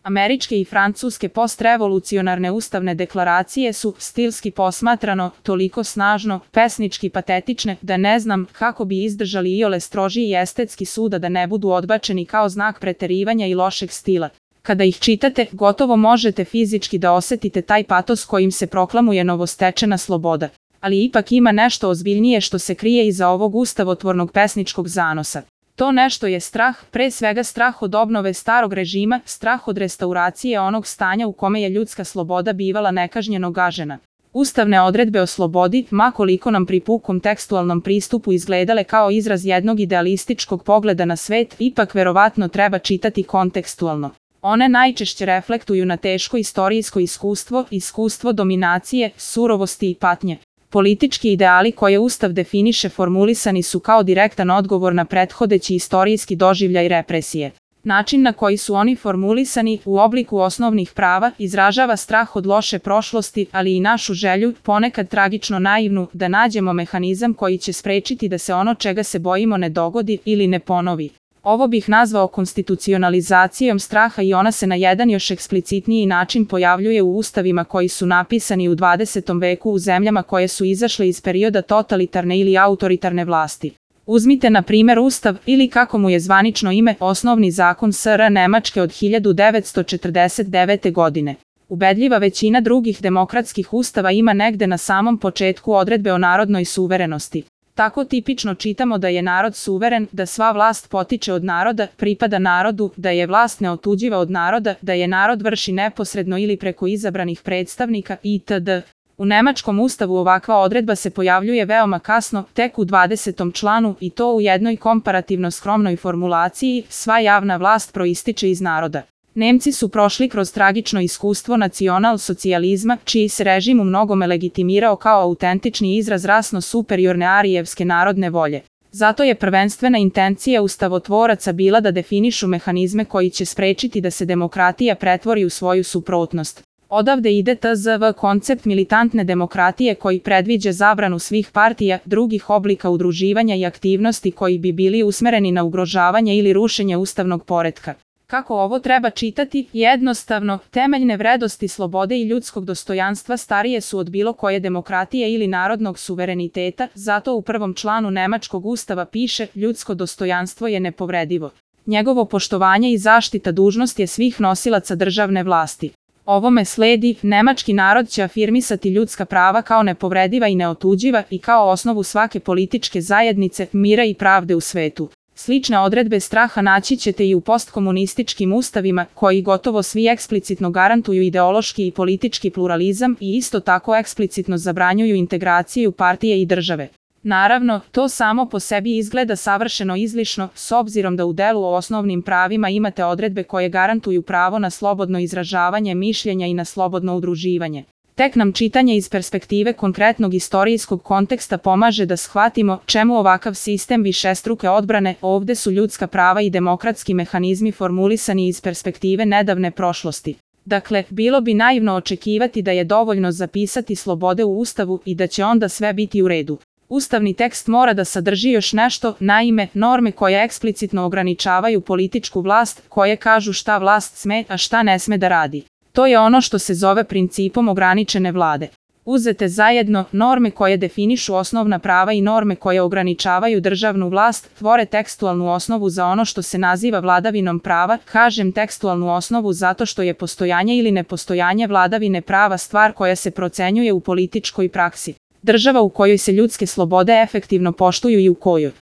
Američke i francuske postrevolucionarne ustavne deklaracije su, stilski posmatrano, toliko snažno, pesnički patetične, da ne znam kako bi izdržali iole strožiji i estetski sud, a da ne budu odbačeni kao znak preterivanja i lošeg stila. Kada ih čitate, gotovo možete fizički da osetite taj patos kojim se proklamuje novostečena sloboda. Ali ipak ima nešto ozbiljnije što se krije iza ovog ustavotvornog pesničkog zanosa. To nešto je strah, pre svega strah od obnove starog režima, strah od restauracije onog stanja u kome je ljudska sloboda bivala nekažnjeno gažena. Ustavne odredbe o slobodi, ma koliko nam pri pukom tekstualnom pristupu izgledale kao izraz jednog idealističkog pogleda na svet, ipak verovatno treba čitati kontekstualno. One najčešće reflektuju na teško istorijsko iskustvo, iskustvo dominacije, surovosti i patnje. Politički ideali koje Ustav definiše formulisani su kao direktan odgovor na prethodeći istorijski doživljaj represije. Način na koji su oni formulisani u obliku osnovnih prava izražava strah od loše prošlosti, ali i našu želju, ponekad tragično naivnu, da nađemo mehanizam koji će sprečiti da se ono čega se bojimo ne dogodi ili ne ponovi. Ovo bih nazvao konstitucionalizacijom straha i ona se na jedan još eksplicitniji način pojavljuje u ustavima koji su napisani u 20. veku u zemljama koje su izašle iz perioda totalitarne ili autoritarne vlasti. Uzmite na primjer Ustav, ili kako mu je zvanično ime, Osnovni zakon SR Nemačke od 1949. godine. Ubedljiva većina drugih demokratskih ustava ima negde na samom početku odredbe o narodnoj suverenosti. Tako tipično čitamo da je narod suveren, da sva vlast potiče od naroda, pripada narodu, da je vlast neotuđiva od naroda, da je narod vrši neposredno ili preko izabranih predstavnika itd. U nemačkom ustavu ovakva odredba se pojavljuje veoma kasno, tek u 20. članu, i to u jednoj komparativno skromnoj formulaciji: sva javna vlast proističe iz naroda. Nemci su prošli kroz tragično iskustvo nacional-socijalizma, čiji se režim u mnogome legitimirao kao autentični izraz rasno superiorne arijevske narodne volje. Zato je prvenstvena intencija ustavotvoraca bila da definišu mehanizme koji će sprečiti da se demokratija pretvori u svoju suprotnost. Odavde ide tzv. Koncept militantne demokratije koji predviđa zabranu svih partija, drugih oblika udruživanja i aktivnosti koji bi bili usmereni na ugrožavanje ili rušenje ustavnog poretka. Kako ovo treba čitati? Jednostavno, temeljne vrednosti slobode i ljudskog dostojanstva starije su od bilo koje demokratije ili narodnog suvereniteta, zato u prvom članu nemačkog ustava piše: ljudsko dostojanstvo je nepovredivo. Njegovo poštovanje i zaštita dužnost je svih nosilaca državne vlasti. Ovome sledi, nemački narod će afirmisati ljudska prava kao nepovrediva i neotuđiva i kao osnovu svake političke zajednice, mira i pravde u svetu. Slične odredbe straha naći ćete i u postkomunističkim ustavima, koji gotovo svi eksplicitno garantuju ideološki i politički pluralizam i isto tako eksplicitno zabranjuju integraciju partije i države. Naravno, to samo po sebi izgleda savršeno izlišno, s obzirom da u delu o osnovnim pravima imate odredbe koje garantuju pravo na slobodno izražavanje mišljenja i na slobodno udruživanje. Tek nam čitanje iz perspektive konkretnog istorijskog konteksta pomaže da shvatimo čemu ovakav sistem višestruke odbrane. Ovde su ljudska prava i demokratski mehanizmi formulisani iz perspektive nedavne prošlosti. Dakle, bilo bi naivno očekivati da je dovoljno zapisati slobode u Ustavu i da će onda sve biti u redu. Ustavni tekst mora da sadrži još nešto, naime, norme koje eksplicitno ograničavaju političku vlast, koje kažu šta vlast sme, a šta ne sme da radi. To je ono što se zove principom ograničene vlade. Uzete zajedno, norme koje definišu osnovna prava i norme koje ograničavaju državnu vlast, tvore tekstualnu osnovu za ono što se naziva vladavinom prava. Kažem tekstualnu osnovu zato što je postojanje ili nepostojanje vladavine prava stvar koja se procenjuje u političkoj praksi. Država u kojoj se ljudske slobode efektivno poštuju i u kojoj